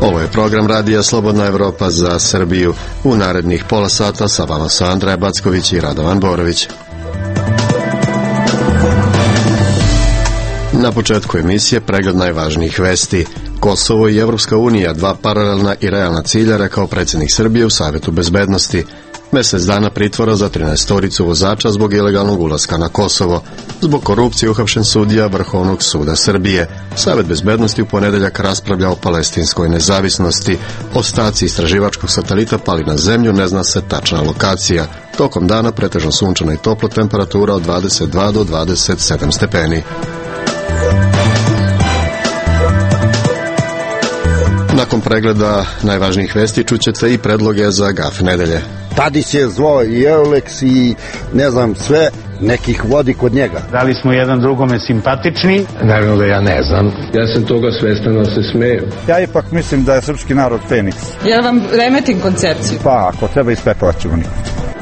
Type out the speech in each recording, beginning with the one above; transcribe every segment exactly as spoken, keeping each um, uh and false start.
Ovo je program Radija Slobodna Evropa za Srbiju. U narednih pola sata sa vama su Andreja Backović i Radovan Borović. Na početku emisije pregled najvažnijih vesti. Kosovo i Evropska unija, dva paralelna i realna cilja, rekao predsjednik Srbije u Savetu bezbednosti. Mesec dana pritvora za trinaestoricu vozača zbog ilegalnog ulaska na Kosovo. Zbog korupcije uhapšen sudija Vrhovnog suda Srbije. Savet bezbednosti u ponedeljak raspravlja o palestinskoj nezavisnosti. Ostaci istraživačkog satelita pali na zemlju, ne zna se tačna lokacija. Tokom dana pretežno sunčana i topla, temperatura od dvadeset dva do dvadeset sedam stepeni. Nakon pregleda najvažnijih vesti čućete i predloge za gaf nedelje. Tadić je zlo i Euleks i ne znam sve, nekih vodi kod njega. Da li smo jedan drugome simpatični? Naravno da ja ne znam. Ja sam toga svestan, ali se smeju. Ja ipak mislim da je srpski narod Feniks. Ja vam remetim koncepciju. Pa, ako treba ispepovat ćemo nikad.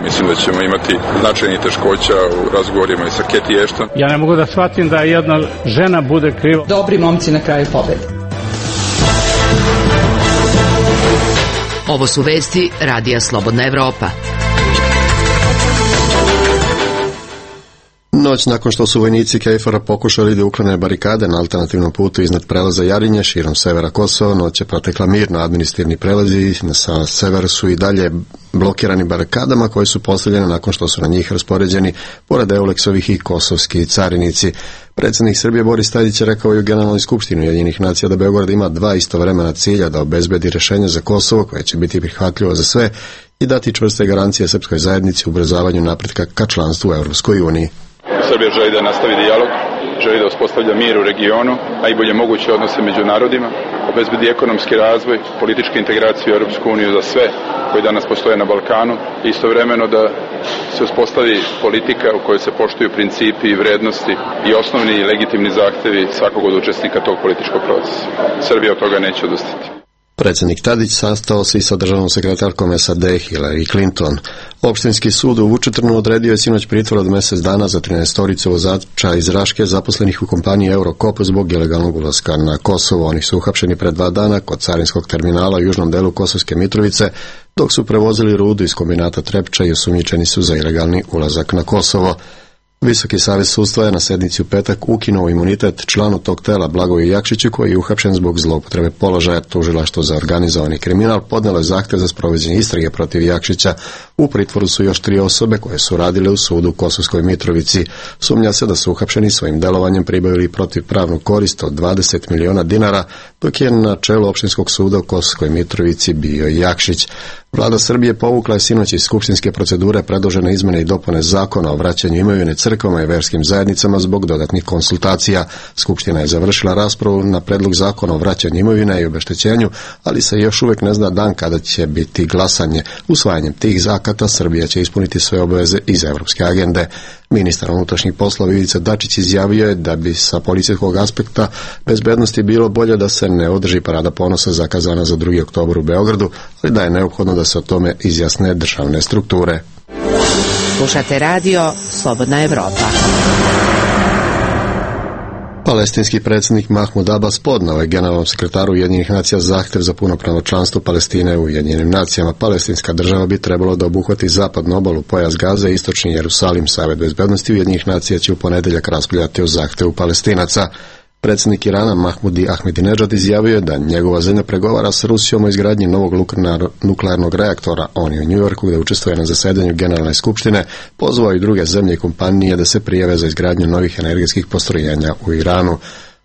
Mislim da ćemo imati značajnih teškoća u razgovorima i sa Keti Ešton. Ja ne mogu da shvatim da jedna žena bude kriva. Dobri momci na kraju pobede. Ovo su vesti Radija Slobodna Evropa. Noć nakon što su vojnici Kejfora pokušali da uklone barikade na alternativnom putu iznad prelaza Jarinje širom severa Kosova, noć je protekla mirno. Administrativni prelazi na severu su i dalje blokirani barikadama koje su postavljene nakon što su na njih raspoređeni pored Euleksovih i kosovski carinici. Predsjednik Srbije Boris Tadić je rekao i u Generalnoj skupštini Ujedinjenih nacija da Beograd ima dva istovremena cilja: da obezbedi rješenje za Kosovo koje će biti prihvatljivo za sve i dati čvrste garancije srpskoj zajednici u ubrzavanju napretka ka članstvu u Europskoj uniji. Srbija želi da nastavi dijalog, želi da uspostavlja mir u regionu, najbolje moguće odnose među narodima, obezbedi ekonomski razvoj, političku integraciju u Europsku uniju za sve koji danas postoje na Balkanu, i istovremeno da se uspostavi politika u kojoj se poštuju principi i vrednosti i osnovni i legitimni zahtevi svakog od učesnika tog političkog procesa. Srbija od toga neće odustati. Predsjednik Tadić sastao se i sa državnom sekretarkom S A D Hillary Clinton. Opštinski sud u Vučitrnu odredio je sinoć pritvor od mjesec dana za trinaestoricu vozača iz Raške zaposlenih u kompaniji Eurokop zbog ilegalnog ulaska na Kosovo. Oni su uhapšeni pred dva dana kod carinskog terminala u južnom delu Kosovske Mitrovice dok su prevozili rudu iz kombinata Trepča i osumnjičeni su za ilegalni ulazak na Kosovo. Visoki savez sudstva je na sednici u petak ukinuo imunitet članu tog tela Blagoju Jakšiću koji je uhapšen zbog zloupotrebe položaja. Tužilaštvo za organizovani kriminal podnijelo je zahtjev za sprovođenje istrage protiv Jakšića. U pritvoru su još tri osobe koje su radile u sudu u Kosovskoj Mitrovici. Sumnja se da su uhapšeni svojim delovanjem pribavili protiv pravnu korist od dvadeset miliona dinara, dok je na čelu opštinskog suda u Kosovskoj Mitrovici bio Jakšić. Vlada Srbije povukla je sinoć iz skupštinske procedure predložene izmjene i dopune zakona o vraćanju imovine crkvama i verskim zajednicama zbog dodatnih konsultacija. Skupština je završila raspravu na predlog zakona o vraćanju imovine i obeštećenju, ali se još uvijek ne zna dan kada će biti glasanje. Usvajanjem tih zakata Srbija će ispuniti sve obaveze iz evropske agende. Ministar unutrašnjih poslova Ivica Dačić izjavio je da bi sa policijskog aspekta bezbednosti bilo bolje da se ne održi parada ponosa zakazana za drugi oktobar u Beogradu, ali da je neophodno da se o tome izjasne državne strukture. Slušate radio Slobodna Evropa. Palestinski predsjednik Mahmud Abbas podnao je generalnom sekretaru Ujedinjenih nacija zahtjev za punopravno članstvo Palestine u Ujedinjenim nacijama. Palestinska država bi trebalo da obuhvati zapadnu obalu, pojas Gaze i istočni Jerusalim. Savet bezbednosti Ujedinjenih nacija će u ponedjeljak raspravljati o zahtjevu Palestinaca. Predsjednik Irana Mahmudi Ahmedinejad izjavio je da njegova zemlja pregovara s Rusijom o izgradnji novog nuklearnog reaktora. On je u New Yorku gdje učestvuje na zasedanju Generalne skupštine pozvao i druge zemlje i kompanije da se prijave za izgradnju novih energetskih postrojenja u Iranu.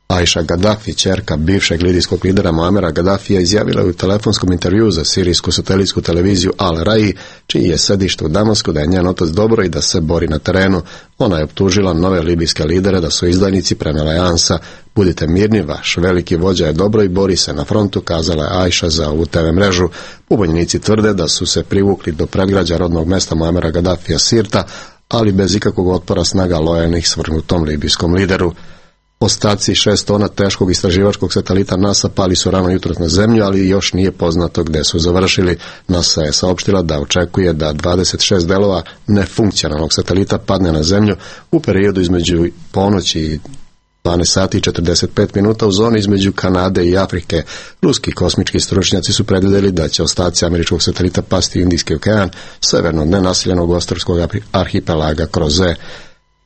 Aisha Gaddafi, ćerka bivšeg libijskog lidera Muamera Gaddafija, izjavila je u telefonskom intervjuu za sirijsku satelitsku televiziju Al Rai, čiji je sedište u Damasku, da je njen otac dobro i da se bori na terenu. Ona je optužila nove libijske lidere da su izdajnici, prenela je Ansa. Budite mirni, vaš veliki vođa je dobro i bori se na frontu, kazala je Aisha za ovu te ve mrežu. Pobunjenici tvrde da su se privukli do predgrađa rodnog mesta Muamera Gaddafija Sirta, ali bez ikakvog otpora snaga lojalnih svrgnutom libijskom lideru. Ostaci šest tona teškog istraživačkog satelita NASA pali su rano jutros na zemlju, ali još nije poznato gdje su završili. NASA je saopštila da očekuje da dvadeset šest delova nefunkcionalnog satelita padne na zemlju u periodu između ponoći i dvanaest sati i četrdeset pet minuta u zoni između Kanade i Afrike. Ruski kosmički stručnjaci su predvidjeli da će ostaci američkog satelita pasti u Indijski okean, severno od nenaseljenog ostrvskog arhipelaga Kroze.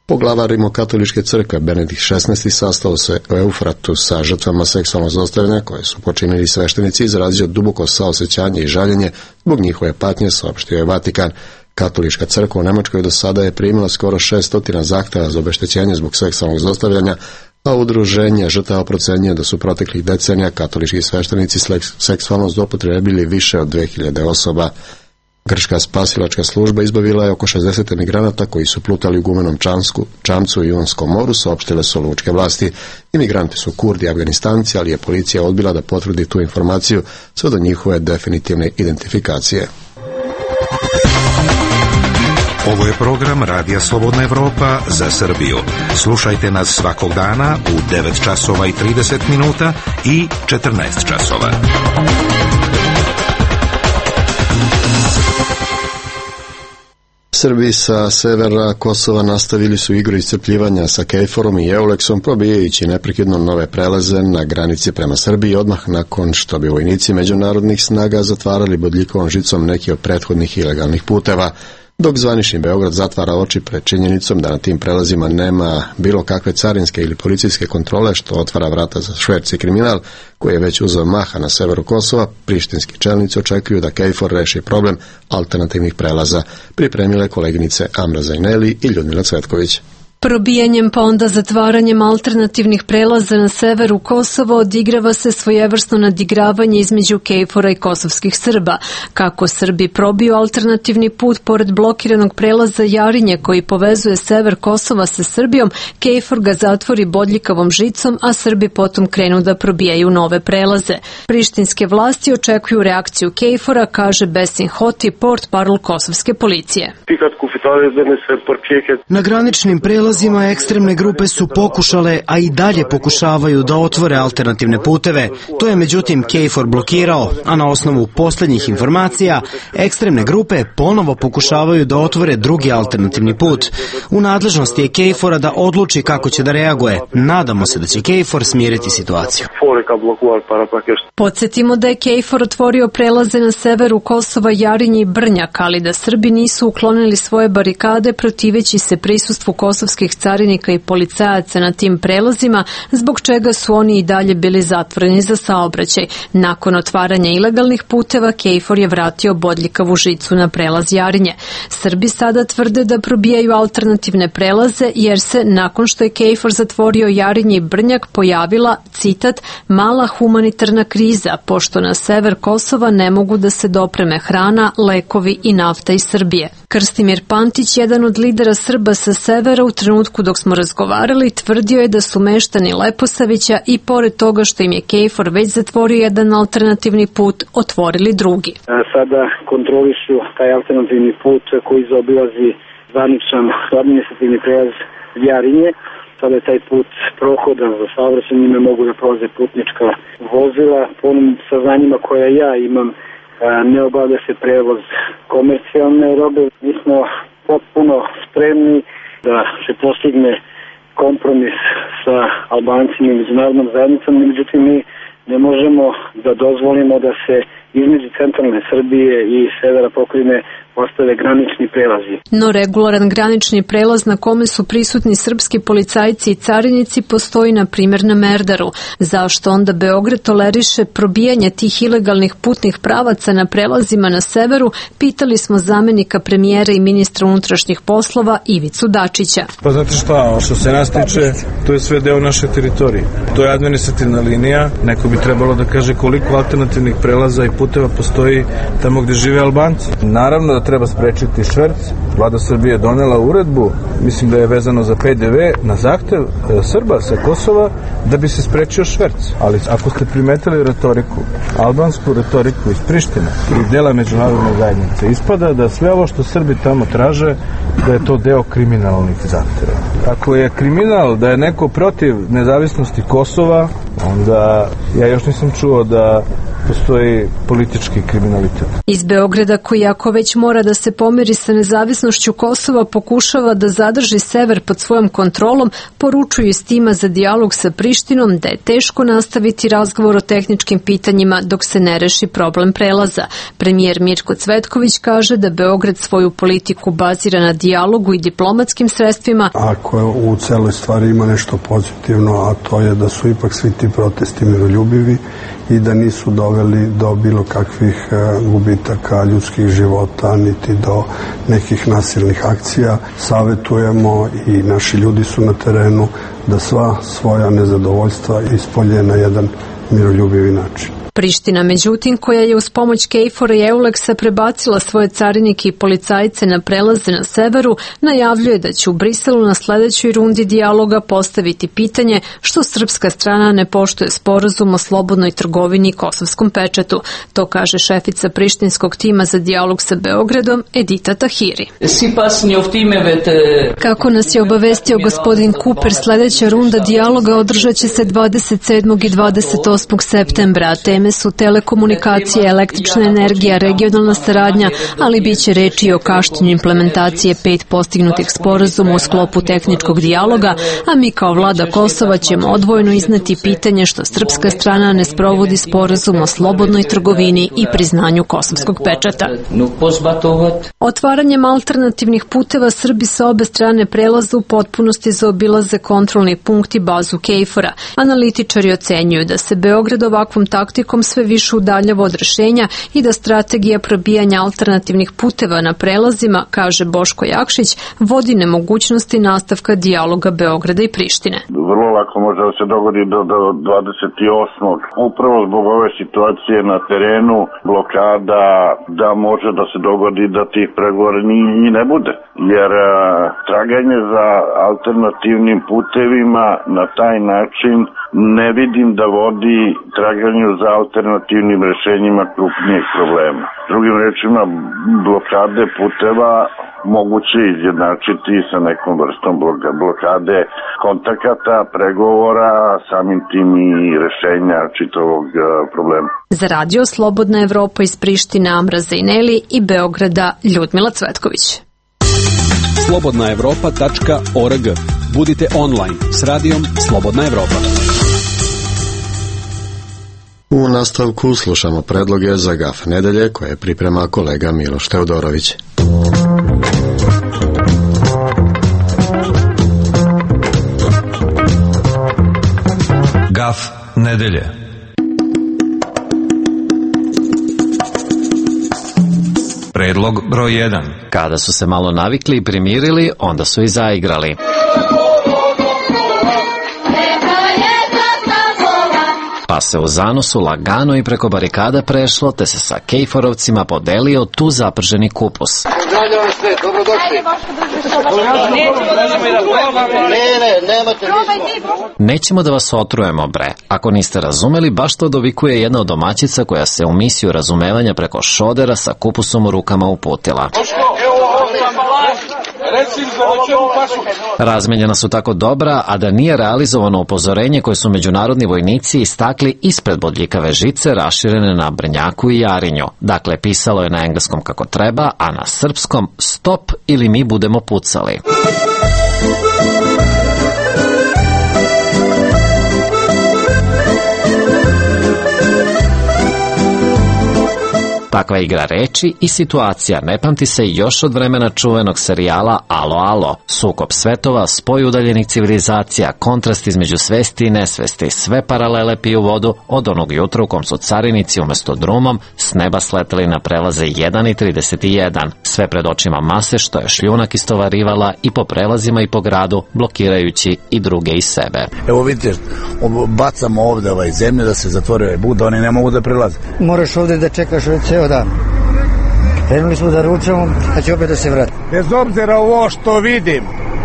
Poglavar Rimokatoličke crkve Benedikt šesnaesti sastao se u Eufratu sa žrtvama seksualnog zlostavljanja koje su počinili sveštenici, izrazio duboko saosećanje i žaljenje zbog njihove patnje, saopštio je Vatikan. Katolička crkva u Nemačkoj do sada je primila skoro šessto zahtjeva za obeštećenje zbog seksualnog zlostavljanja, a udruženje žrtava procenjuje da su proteklih decenija katolički sveštenici seksualno zloupotrijebili više od dve hiljade osoba. Grčka spasilačka služba izbavila je oko šezdeset emigranata koji su plutali u gumenom čamsku, čamcu u Jonskom moru, saopštile su lučke vlasti. Imigranti su Kurdi i Afganistanci, ali je policija odbila da potvrdi tu informaciju sve do njihove definitivne identifikacije. Ovo je program Radija Slobodna Evropa za Srbiju. Slušajte nas svakog dana u devet časova i trideset minuta i četrnaest časova. Srbi sa severa Kosova nastavili su igru iscrpljivanja sa Kejforom i Euleksom, probijajući neprekidno nove prelaze na granici prema Srbiji odmah nakon što bi vojnici međunarodnih snaga zatvarali bodljikovom žicom neki od prethodnih ilegalnih puteva. Dok zvanični Beograd zatvara oči pred činjenicom da na tim prelazima nema bilo kakve carinske ili policijske kontrole, što otvara vrata za šverc i kriminal koji je već uzeo maha na severu Kosova, prištinski čelnici očekuju da Kejfor reši problem alternativnih prelaza, pripremile koleginice Amra Zajneli i Ljudmila Cvetković. Probijanjem pa onda zatvaranjem alternativnih prelaza na severu Kosova odigrava se svojevrsno nadigravanje između Kejfora i kosovskih Srba. Kako Srbi probiju alternativni put pored blokiranog prelaza Jarinje koji povezuje sever Kosova sa Srbijom, Kejfor ga zatvori bodljikavom žicom, a Srbi potom krenu da probijaju nove prelaze. Prištinske vlasti očekuju reakciju Kejfora, kaže Besin Hoti, portparol kosovske policije. Na graničnim prelazima ekstremne grupe su pokušale, a i dalje pokušavaju da otvore alternativne puteve. To je međutim Kejfor blokirao, a na osnovu posljednjih informacija ekstremne grupe ponovo pokušavaju da otvore drugi alternativni put. U nadležnosti je Kejfora da odluči kako će da reaguje. Nadamo se da će Kejfor smiriti situaciju. Podsjetimo da je Kejfor otvorio prelaze na severu Kosova, Jarinje i Brnjak, ali da Srbi nisu uklonili svoje barikade protiveći se prisustvu kosovskih carinika i policajaca na tim prelazima, zbog čega su oni i dalje bili zatvoreni za saobraćaj. Nakon otvaranja ilegalnih puteva, Kejfor je vratio bodljikavu žicu na prelaz Jarinje. Srbi sada tvrde da probijaju alternativne prelaze, jer se, nakon što je Kejfor zatvorio Jarinje i Brnjak, pojavila, citat, mala humanitarna kriza, pošto na sever Kosova ne mogu da se dopreme hrana, lekovi i nafta iz Srbije. Krstimir Pantić, jedan od lidera Srba sa severa, u trenutku dok smo razgovarali, tvrdio je da su meštani Leposavića i pored toga što im je Kejfor već zatvorio jedan alternativni put, otvorili drugi. Sada kontrolišu taj alternativni put koji zaobilazi zvaničan administrativni prelaz Jarinje. Sada je taj put prohodan za saobraćaj, njime mogu da prolaze putnička vozila. Po onim saznanjima koja ja imam, ne obavlja se prevoz komercijalne robe. Mi smo potpuno spremni da se postigne kompromis sa Albancima i međunarodnom zajednicom, međutim mi ne možemo da dozvolimo da se između centralne Srbije i severa pokrajine ostave granični prelazi. No regularan granični prelaz na kome su prisutni srpski policajci i carinici postoji na primjer na Merdaru. Zašto onda Beograd toleriše probijanje tih ilegalnih putnih pravaca na prelazima na severu, pitali smo zamenika premijera i ministra unutrašnjih poslova Ivicu Dačića. Pa znate šta, što se nas tiče, to je sve deo naše teritorije. To je administrativna linija, neko bi trebalo da kaže koliko alternativnih prelaza i puteva postoji tamo gde žive Albanci. Naravno da treba sprečiti šverc. Vlada Srbije je donela uredbu, mislim da je vezano za P D V, na zahtev Srba sa Kosova da bi se sprečio šverc. Ali ako ste primetili retoriku, albansku retoriku iz Prištine i dela međunarodne zajednice, ispada da sve ovo što Srbi tamo traže, da je to deo kriminalnih zahteva. Ako je kriminal da je neko protiv nezavisnosti Kosova, onda ja još nisam čuo da postoji politički kriminalitet. Iz Beograda, koji ako već mora da se pomeri sa nezavisnošću Kosova, pokušava da zadrži sever pod svojom kontrolom, poručuju iz tima za dijalog sa Prištinom da je teško nastaviti razgovor o tehničkim pitanjima dok se ne reši problem prelaza. Premijer Mirko Cvetković kaže da Beograd svoju politiku bazira na dijalogu i diplomatskim sredstvima. Ako u celoj stvari ima nešto pozitivno, a to je da su ipak svi ti protesti miroljubivi i da nisu doveli do bilo kakvih gubitaka ljudskih života, niti do nekih nasilnih akcija. Savetujemo i naši ljudi su na terenu da sva svoja nezadovoljstva ispolje na jedan miroljubivi način. Priština, međutim, koja je uz pomoć KFOR-a i Euleksa prebacila svoje carinike i policajce na prelaze na severu, najavljuje da će u Briselu na sledećoj rundi dijaloga postaviti pitanje što srpska strana ne poštuje sporazum o slobodnoj trgovini i kosovskom pečatu. To kaže šefica prištinskog tima za dijalog sa Beogradom, Edita Tahiri. Kako nas je obavestio gospodin Cooper, sledeća runda dijaloga održat će se dvadeset sedmog i dvadeset osmog septembra. Teme su telekomunikacije, električna energija, regionalna saradnja, ali bit će reči o kašnjenju implementacije pet postignutih sporazuma u sklopu tehničkog dijaloga, a mi kao vlada Kosova ćemo odvojeno izneti pitanje što srpska strana ne sprovodi sporazum o slobodnoj trgovini i priznanju kosovskog pečata. Otvaranjem alternativnih puteva Srbi sa obe strane prelaza u potpunosti zaobilaze kontrolni punkt i bazu KFOR-a. Analitičari ocenjuju da se Beograd ovakvom taktikom sve više udaljava od rešenja i da strategija probijanja alternativnih puteva na prelazima, kaže Boško Jakšić, vodi nemogućnosti nastavka dijaloga Beograda i Prištine. Vrlo lako može da se dogodi do, do dvadeset osmog Upravo zbog ove situacije na terenu, blokada, da može da se dogodi da tih pregovora ni, ni ne bude. Jer a, traganje za alternativnim putevima na taj način ne vidim da vodi traganju za alternativnim rešenjima krupnijeg problema. Drugim rečima, blokade puteva moguće izjednačiti sa nekom vrstom blokade kontakata, pregovora, samim tim i rešenja čitavog problema. Za radio Slobodna Evropa iz Prištine Amra Zejneli i Beograda Ljudmila Cvetković. slobodna evropa tačka org. Budite online s radijom Slobodna Evropa. U nastavku slušamo predloge za Gaf nedelje koje priprema kolega Miloš Teodorović. Gaf nedelje. Predlog broj jedan. Kada su se malo navikli i primirili, onda su i zaigrali. Pa se u zanosu lagano i preko barikada prešlo, te se sa kejforovcima podelio tu zaprženi kupus. Pozdravljam sve, dobrodošli. Nećemo da vas otrujemo, bre. Ako niste razumeli, baš to dovikuje jedna od domaćica koja se u misiju razumevanja preko šodera sa kupusom u rukama uputila. Razmenjena su tako dobra, a da nije realizovano upozorenje koje su međunarodni vojnici istakli ispred bodljikave žice raširene na Brnjaku i Jarinju. Dakle, pisalo je na engleskom kako treba, a na srpskom stop ili mi budemo pucali. Takva igra reči i situacija ne pamti se još od vremena čuvenog serijala Alo, alo. Sukob svetova, spoj udaljenih civilizacija, kontrast između svesti i nesvesti, sve paralele piju vodu od onog jutra u kom su carinici umesto drumom s neba sleteli na prelaze jedan i trideset jedan. Sve pred očima mase što je šljunak istovarivala i po prelazima i po gradu, blokirajući i druge i sebe. Evo vidite, bacamo ovde ovaj zemlje da se zatvore ovaj bud, oni ne mogu da prelaze. Moraš ovde da čekaš ovaj ceo dan. Krenuli smo da ručamo, a će opet da se vrati. Bez obzira ovo što vidim,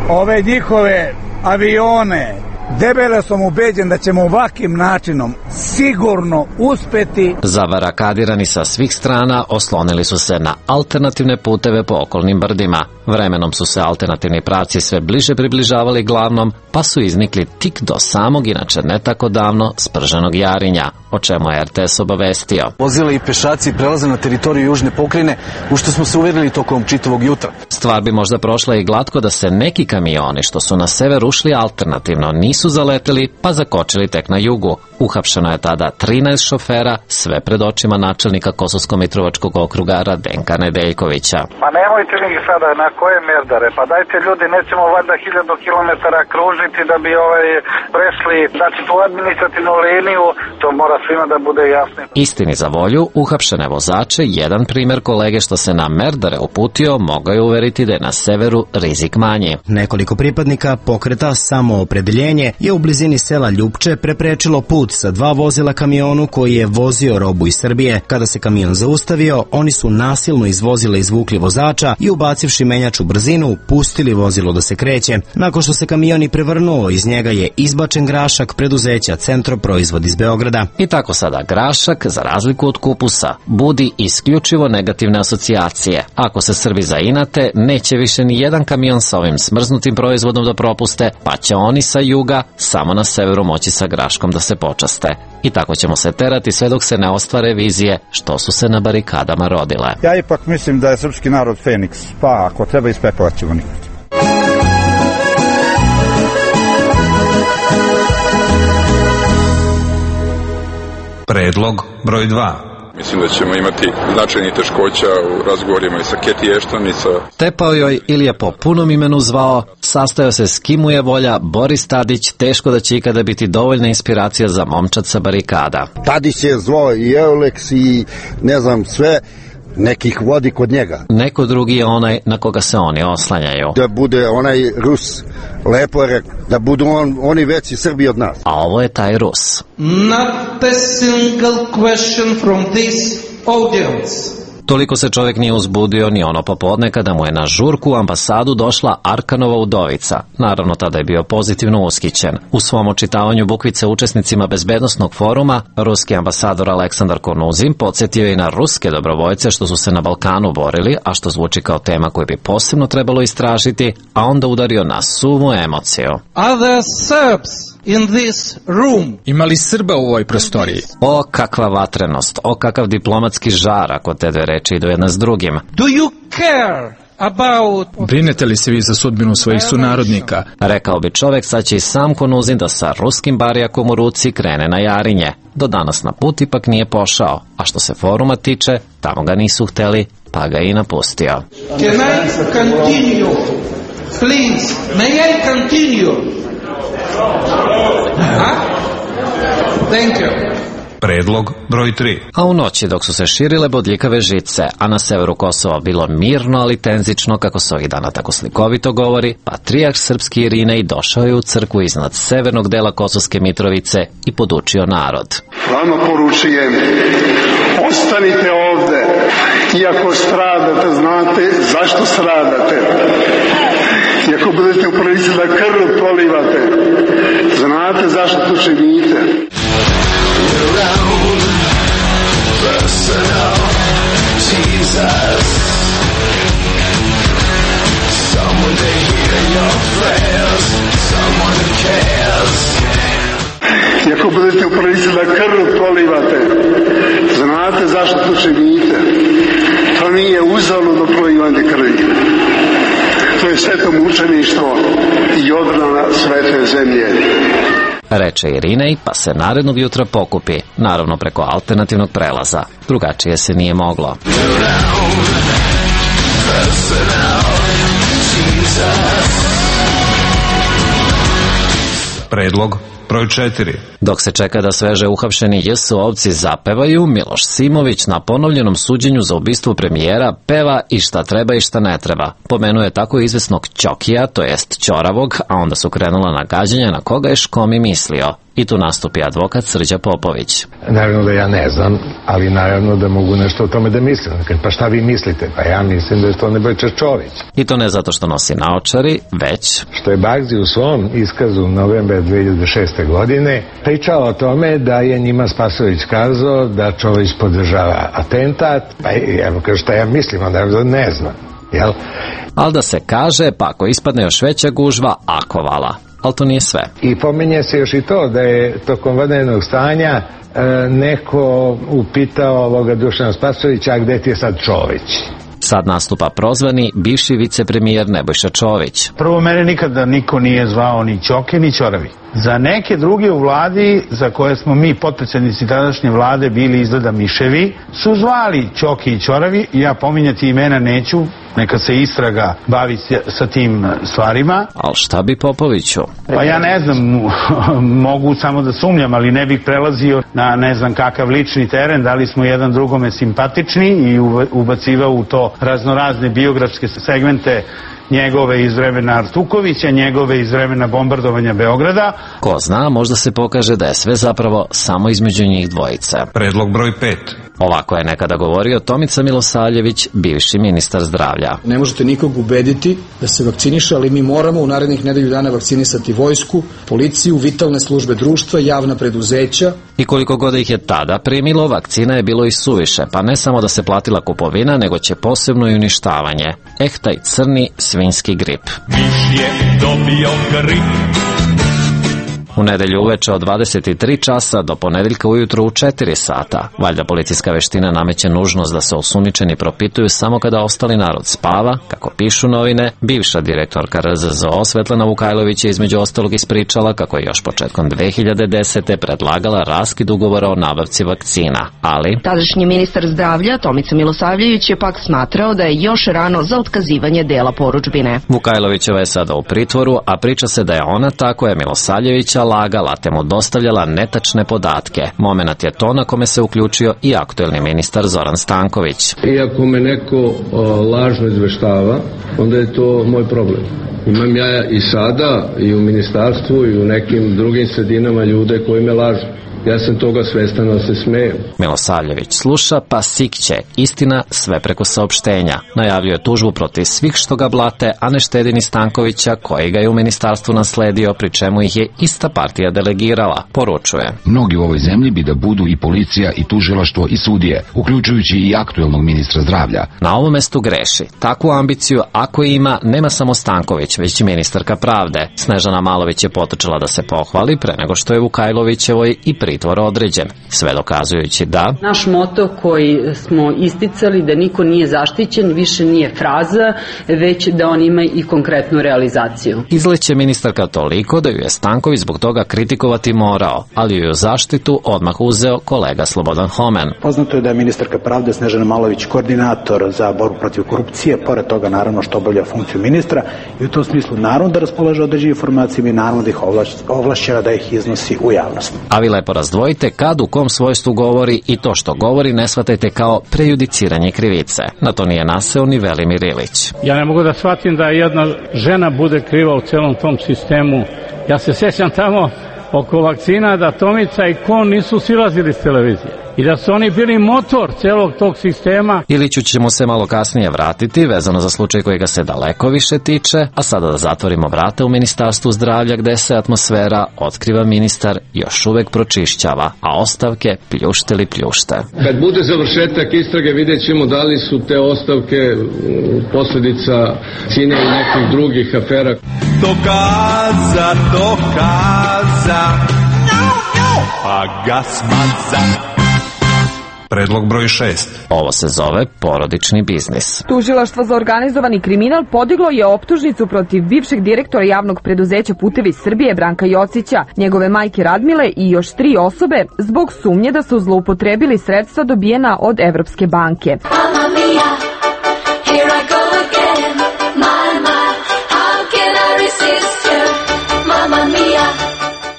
ove njihove avione, debelo sam ubeđen da ćemo ovakvim načinom sigurno uspeti. Zavarakadirani sa svih strana oslonili su se na alternativne puteve po okolnim brdima. Vremenom su se alternativni pravci sve bliže približavali glavnom, pa su iznikli tik do samog, inače ne tako davno, sprženog Jarinja. o čemu je R T S obavestio. Vozila i pešaci prelaze na teritoriju južne pokrajine, u što smo se uverili tokom čitavog jutra. Stvar bi možda prošla i glatko da se neki kamioni što su na sever ušli alternativno nisu zaleteli pa zakočili tek na jugu. Uhapšeno je tada trinaest šofera, sve pred očima načelnika Kosovsko-Mitrovačkog okruga Radenka Nedeljkovića. Pa nemojte mi sada na koje merdare, pa dajte ljudi, nećemo valjda hiljadu kilometara kružiti da bi ovaj prešli, znači tu administrativnu liniju, to mora svima da bude jasno. Istini za volju, uhapšene vozače, jedan primjer kolege što se na merdare uputio, mogao je uveriti da je na severu rizik manji. Nekoliko pripadnika pokreta Samoopredeljenje je u blizini sela Ljupče preprečilo put sa dva vozila kamionu koji je vozio robu iz Srbije. Kada se kamion zaustavio, oni su nasilno iz vozila izvukli vozača i ubacivši menjač u brzinu, pustili vozilo da se kreće. Nakon što se kamion i prevrnuo, iz njega je izbačen grašak preduzeća Centroproizvod iz Beograda. I tako sada grašak, za razliku od kupusa, budi isključivo negativne asocijacije. Ako se Srbi zainate, neće više ni jedan kamion sa ovim smrznutim proizvodom da propuste, pa će oni sa juga samo na severu moći sa graškom da se počaste. I tako ćemo se terati sve dok se ne ostvare vizije što su se na barikadama rodile. Ja ipak mislim da je srpski narod Feniks, pa ako treba iz pepela ćemo nikad. Predlog broj dva. Mislim da ćemo imati značajnih teškoća u razgovorima i sa Keti Ešton i sa... Tepao joj ili je po punom imenu zvao, sastojao se s kim mu je volja Boris Tadić, teško da će ikada biti dovoljna inspiracija za momčad sa barikada. Tadić je zvao i Euleks i ne znam sve, nekih vodi kod njega. Neko drugi je onaj na koga se oni oslanjaju. Da bude onaj Rus, lepo je rekao, da budu on, oni veći Srbi od nas. A ovo je taj Rus. Not a single question from this audience. Toliko se čovjek nije uzbudio ni ono popodne kada mu je na žurku u ambasadu došla Arkanova udovica. Naravno, tada je bio pozitivno ushićen. U svom očitavanju bukvice učesnicima bezbednosnog foruma, ruski ambasador Aleksandar Konuzin podsjetio je i na ruske dobrovoljce što su se na Balkanu borili, a što zvuči kao tema koju bi posebno trebalo istražiti, a onda udario na suvu emociju. Other Serbs in this room. Ima li Srba u ovoj prostoriji? O, kakva vatrenost, o kakav diplomatski žar ako te dve reči idu jedna s drugim. Do you care about... Brinete li se vi za sudbinu svojih sunarodnika? Rekao bi čovjek, sad će i sam Konuzin da sa ruskim barijakom u ruci krene na Jarinje. Do danas na put ipak nije pošao, a što se foruma tiče, tamo ga nisu hteli, pa ga i napustio. Can I continue? Please, may I continue? Huh? Thank you. Predlog broj tri. A u noći dok su se širile bodljikave žice, a na severu Kosova bilo mirno ali tenzično, kako se ovih dana tako slikovito govori, patrijarh srpski Irinej došao je u crkvu iznad severnog dela Kosovske Mitrovice i podučio narod. Vama poručujem, ostanite ovde, iako stradate, znate zašto stradate. I ako budete u prilici da krv polivate, znate zašto to činite. I ako budete u prilici da krv polivate, znate zašto to činite. To nije uzaludno prolivanje krvi. To je sveto mučeništvo i odbrana svete zemlje. Reče Irinej, pa se narednog jutra pokupi, naravno preko alternativnog prelaza. Drugačije se nije moglo. Predlog broj četiri. Dok se čeka da sveže uhapšeni J S ovci zapevaju, Miloš Simović na ponovljenom suđenju za ubistvo premijera peva i šta treba i šta ne treba. Pomenuje tako izvesnog Ćokija, to jest Ćoravog, a onda su krenula nagađanja na koga je Škomi mislio. I tu nastupi advokat Srđa Popović. Naravno da ja ne znam, ali naravno da mogu nešto o tome da mislim. Pa šta vi mislite? Pa ja mislim da je to Nebojša Čović. I to ne zato što nosi naočari, već... Što je Bagzi u svom iskazu novembra dve hiljade šeste. godine pričao o tome da je njima Spasović kazao da Čović podržava atentat. Pa evo kao šta ja mislim, onda ne znam. Jel? Ali da se kaže, pa ako ispadne još veća gužva, ako vala. Ali to nije sve. I pominje se još i to da je tokom vanrednog stanja e, neko upitao ovoga Dušana Spasojevića, a gde ti je sad Čović? Sad nastupa prozvani bivši vicepremijer Nebojša Čović. Prvo, mene nikada niko nije zvao ni Ćoke ni Ćoravi. Za neke druge u vladi, za koje smo mi potpredsjednici tadašnje vlade bili izgleda miševi, su zvali Ćoke i Ćoravi. Ja pominjati imena neću, neka se istraga bavi sa tim stvarima. Ali šta bi Popoviću? Pa ja ne znam, mogu samo da sumnjam, ali ne bih prelazio na ne znam kakav lični teren, da li smo jedan drugome simpatični i ubacivao u to raznorazne biografske segmente njegove iz vremena Artukovića, njegove iz vremena bombardovanja Beograda. Ko zna, možda se pokaže da je sve zapravo samo između njih dvojice. Predlog broj pet. Ovako je nekada govorio Tomica Milosavljević, bivši ministar zdravlja. Ne možete nikog ubediti da se vakciniše, ali mi moramo u narednih nedelju dana vakcinisati vojsku, policiju, vitalne službe društva, javna preduzeća. I koliko god ih je tada primilo, vakcina je bilo i suviše, pa ne samo da se platila kupovina, nego će posebno i uništavanje. Eh, taj crni svinjski grip. Miš je dobio grip. U nedelju uveče od dvadeset tri časa do ponedeljka ujutru u četiri sata. Valjda policijska veština nameće nužnost da se osumnjičeni propituju samo kada ostali narod spava, kako pišu novine. Bivša direktorka R Z Z O Svetlana Vukajlović je između ostalog ispričala kako je još početkom dve hiljade desete. predlagala raskid ugovora o nabavci vakcina, ali tadašnji ministar zdravlja Tomica Milosavljević je pak smatrao da je još rano za otkazivanje dela porudžbine. Vukajlovićeva je sada u pritvoru, a priča se da je ona ta koja je Milosavljevića lagala te mu dostavljala netačne podatke. Momenat je to na kome se uključio i aktuelni ministar Zoran Stanković. Iako me neko o, lažno izveštava, onda je to moj problem. Imam ja i sada i u ministarstvu i u nekim drugim sredinama ljude koji me lažu. Ja sam toga svestan, da se smejem. Milosavljević sluša pa sikće. Istina sve preko saopštenja. Najavljuje tužbu protiv svih što ga blate, a ne štedi ni Stankovića koji ga je u ministarstvu nasledio, pri čemu ih je ista partija delegirala. Poručuje. Mnogi u ovoj zemlji bi da budu i policija i tužilaštvo i sudije, uključujući i aktuelnog ministra zdravlja. Na ovom mestu greši. Takvu ambiciju, ako ima, nema samo Stanković, već i ministarka pravde. Snežana Malović je potrčala da se pohvali pre nego što je Vukajlovićevoj i pritvor određen, sve dokazujući da naš moto koji smo isticali da niko nije zaštićen više nije fraza, već da on ima i konkretnu realizaciju. Izleće ministarka toliko da ju je Stanković zbog toga kritikovati morao, ali ju je u zaštitu odmah uzeo kolega Slobodan Homen. Poznato je da je ministarka pravde Snežana Malović koordinator za borbu protiv korupcije, pored toga naravno što obavlja funkciju ministra i u tom smislu naravno da raspolaže određenim informacijama i naravno da ih ovlašćena da ih iznosi u javnost. A vi lepo razdvojite kad u kom svojstvu govori i to što govori ne shvatajte kao prejudiciranje krivice. Na to nije naseo ni Velimir Ilić. Ja ne mogu da shvatim da jedna žena bude kriva u celom tom sistemu. Ja se sjećam tamo oko vakcina da Tomica i Kon nisu silazili s televizije i da su oni bili motor celog tog sistema. Iliću ćemo se malo kasnije vratiti, vezano za slučaj koji ga se daleko više tiče, a sada da zatvorimo vrata u Ministarstvu zdravlja gde se atmosfera, otkriva ministar, još uvek pročišćava, a ostavke pljušte li pljušte. Kad bude završetak istrage vidjet ćemo da li su te ostavke posljedica Cine i nekih drugih afera. Dokaza, dokaza, pa ga smaza. Predlog broj šest. Ovo se zove porodični biznis. Tužilaštvo za organizovani kriminal podiglo je optužnicu protiv bivšeg direktora javnog preduzeća Putevi Srbije Branka Jocića, njegove majke Radmile i još tri osobe zbog sumnje da su zloupotrebili sredstva dobijena od Evropske banke. Mamma mia, here I go again. My, my, how can I resist you? Mamma mia.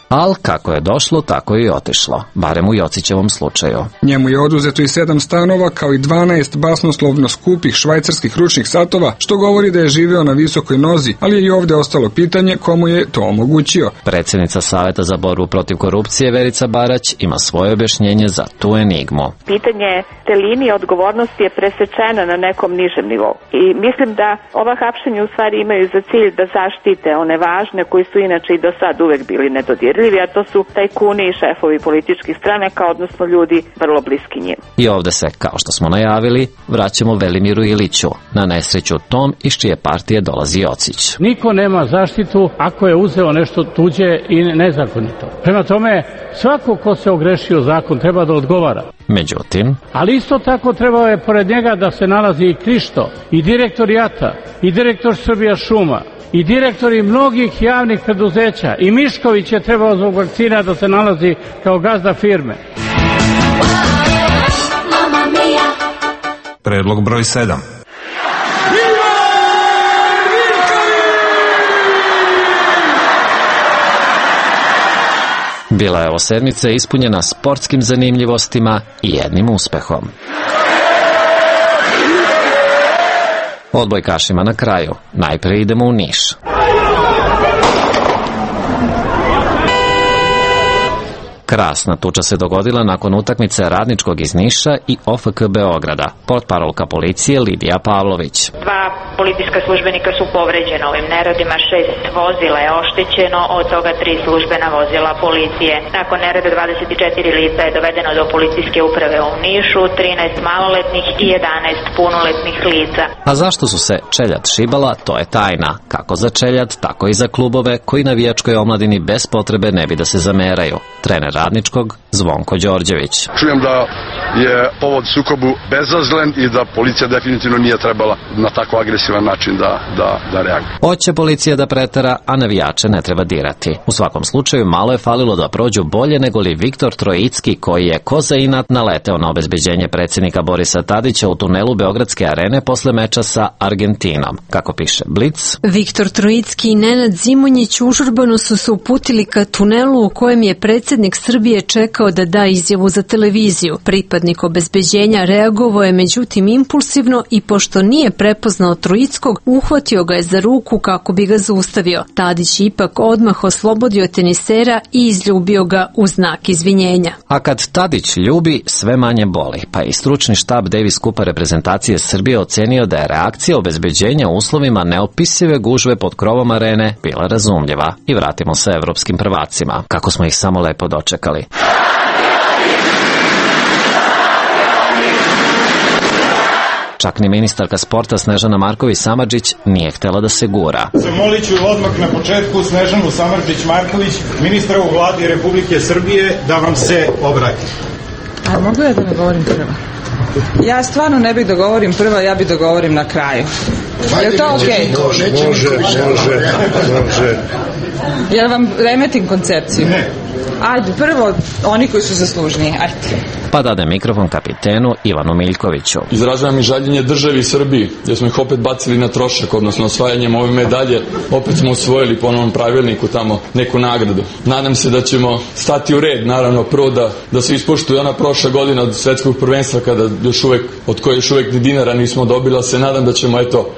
Al kako je došlo, tako je i otišlo, barem u Jocićevom slučaju. Njemu je oduzeto i sedam stanova, kao i dvanaest basnoslovno skupih švajcarskih ručnih satova, što govori da je živeo na visokoj nozi, ali je i ovde ostalo pitanje komu je to omogućio. Predsjednica Saveta za borbu protiv korupcije Verica Barać ima svoje objašnjenje za tu enigmu. Pitanje te linije odgovornosti je presečena na nekom nižem nivou. I mislim da ova hapšenja u stvari imaju za cilj da zaštite one važne koji su inače i do sad uvek bili nedodirljivi. dodirljivi, a to su tajkuni i šefovi političkih stranaka, odnosno ljudi vrlo bliski njim. I ovde se, kao što smo najavili, vraćamo Velimiru Iliću, na nesreću tom iz čije partije dolazi Jocić. Niko nema zaštitu ako je uzeo nešto tuđe i nezakonito. Prema tome, svako ko se ogrešio zakon treba da odgovara. Međutim, ali isto tako trebao je pored njega da se nalazi i Krišto, i direktor JAT-a, i direktor Srbija šuma, i direktori mnogih javnih preduzeća, i Mišković je trebao zbog vakcina da se nalazi kao gazda firme. Predlog broj sedam. Bila je ovo sedmica ispunjena sportskim zanimljivostima i jednim uspehom. Odbojkašima na kraju. Najpre idemo u Niš. Krasna tuča se dogodila nakon utakmice Radničkog iz Niša i O F K Beograda. Portparolka policije Lidija Pavlović. Dva policijska službenika su povređena ovim neredima, šest vozila je oštećeno, od toga tri službena vozila policije. Nakon nereda dvadeset četiri lica je dovedeno do policijske uprave u Nišu, trinaest maloletnih i jedanaest punoletnih lica. A zašto su se čeljad šibala, to je tajna. Kako za čeljad, tako i za klubove koji navijačkoj omladini bez potrebe ne bi da se zameraju. Trener Radničkog Zvonko Đorđević. Čujem da je povod sukobu bezazlen i da policija definitivno nije trebala na tako agresivan način da, da, da reaguje. Hoće policija da pretera, a navijače ne treba dirati. U svakom slučaju malo je falilo da prođu bolje nego li Viktor Trojicki, koji je ko za inat naleteo na obezbeđenje predsjednika Borisa Tadića u tunelu Beogradske arene posle meča sa Argentinom. Kako piše Blic, Viktor Trojicki i Nenad Zimonjić užurbano su se uputili ka tunelu u kojem je predsjednik Srbije čekao da da izjavu za televiziju. Pripadnik obezbeđenja reagovao je međutim impulsivno i pošto nije prepoznao Trojickog, uhvatio ga je za ruku kako bi ga zaustavio. Tadić ipak odmah oslobodio tenisera i izljubio ga u znak izvinjenja. A kad Tadić ljubi, sve manje boli, pa i stručni štab Davis Kupa reprezentacije Srbije ocenio da je reakcija obezbeđenja u uslovima neopisive gužve pod krovom arene bila razumljiva. I vratimo se evropskim prvacima, kako smo ih samo lepo dočekali. Čak ni ministarka sporta Snežana Marković Samardžić nije htjela da se gura. Zamolit ću odmah na početku Snežanu Samardžić Marković, ministra u vladi Republike Srbije, da vam se obrati. A mogu ja da ne govorim prva? Ja stvarno ne bih da govorim prva, ja bih da govorim na kraju. Je li to okej? Može, može, može, može. Jel vam remetim koncepciju? Ne. Ajde, prvo oni koji su zaslužniji, ajde. Pa dade mikrofon kapitenu Ivanu Miljkoviću. Izražavam i žaljenje državi i Srbiji, jer smo ih opet bacili na trošak, odnosno osvajanjem ove medalje, opet smo osvojili po novom pravilniku tamo neku nagradu. Nadam se da ćemo stati u red, naravno prvo da, da se ispoštuje ona prošla godina od svetskog prvenstva, kada još uvek, od koje još uvek ni dinara nismo dobila, se nadam da ćemo eto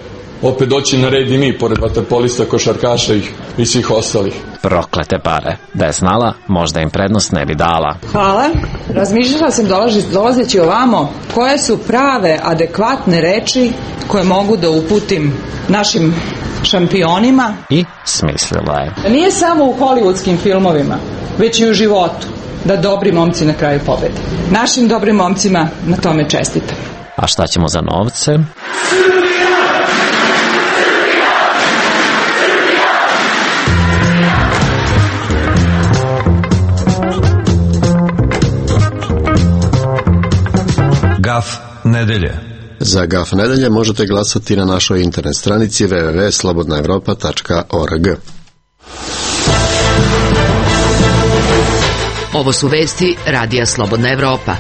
opet doći na red i mi, pored vaterpolista, košarkaša i, i svih ostalih. Proklete pare. Da je znala, možda im prednost ne bi dala. Hvala. Razmišljala sam dolazi, dolazeći ovamo koje su prave, adekvatne reči koje mogu da uputim našim šampionima. I smislila je. Nije samo u hollywoodskim filmovima, već i u životu, da dobri momci na kraju pobede. Našim dobrim momcima na tome čestitam. A šta ćemo za novce? Gaf nedelje. Za Gaf nedelje možete glasati na našoj internet stranici w w w tačka slobodna evropa tačka org. Ovo su vesti Radija Slobodna Evropa.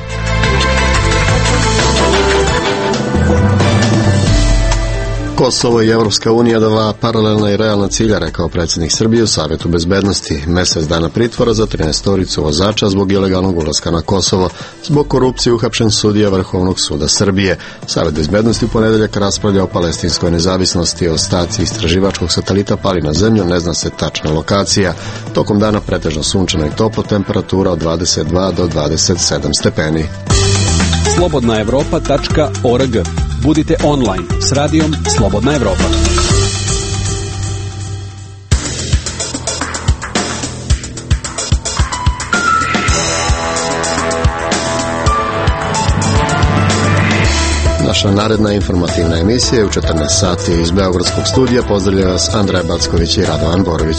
Kosovo i Evropska unija dva paralelna i realna cilja, rekao predsjednik Srbije u Savjetu bezbednosti. Mesec dana pritvora za trinaestoricu vozača zbog ilegalnog ulaska na Kosovo. Zbog korupcije uhapšen sudija Vrhovnog suda Srbije. Savjet bezbednosti u ponedeljak raspravlja o palestinskoj nezavisnosti. Ostaci istraživačkog satelita pali na zemlju, ne zna se tačna lokacija. Tokom dana pretežno sunčano i toplo, temperatura od dvadeset dva do dvadeset sedam stepeni. slobodna evropa tačka org. Budite online s radijom Slobodna Evropa. Naša naredna informativna emisija je u četrnaest sati iz Beogradskog studija. Pozdravljaju vas Andrej Backović i Radovan Borović.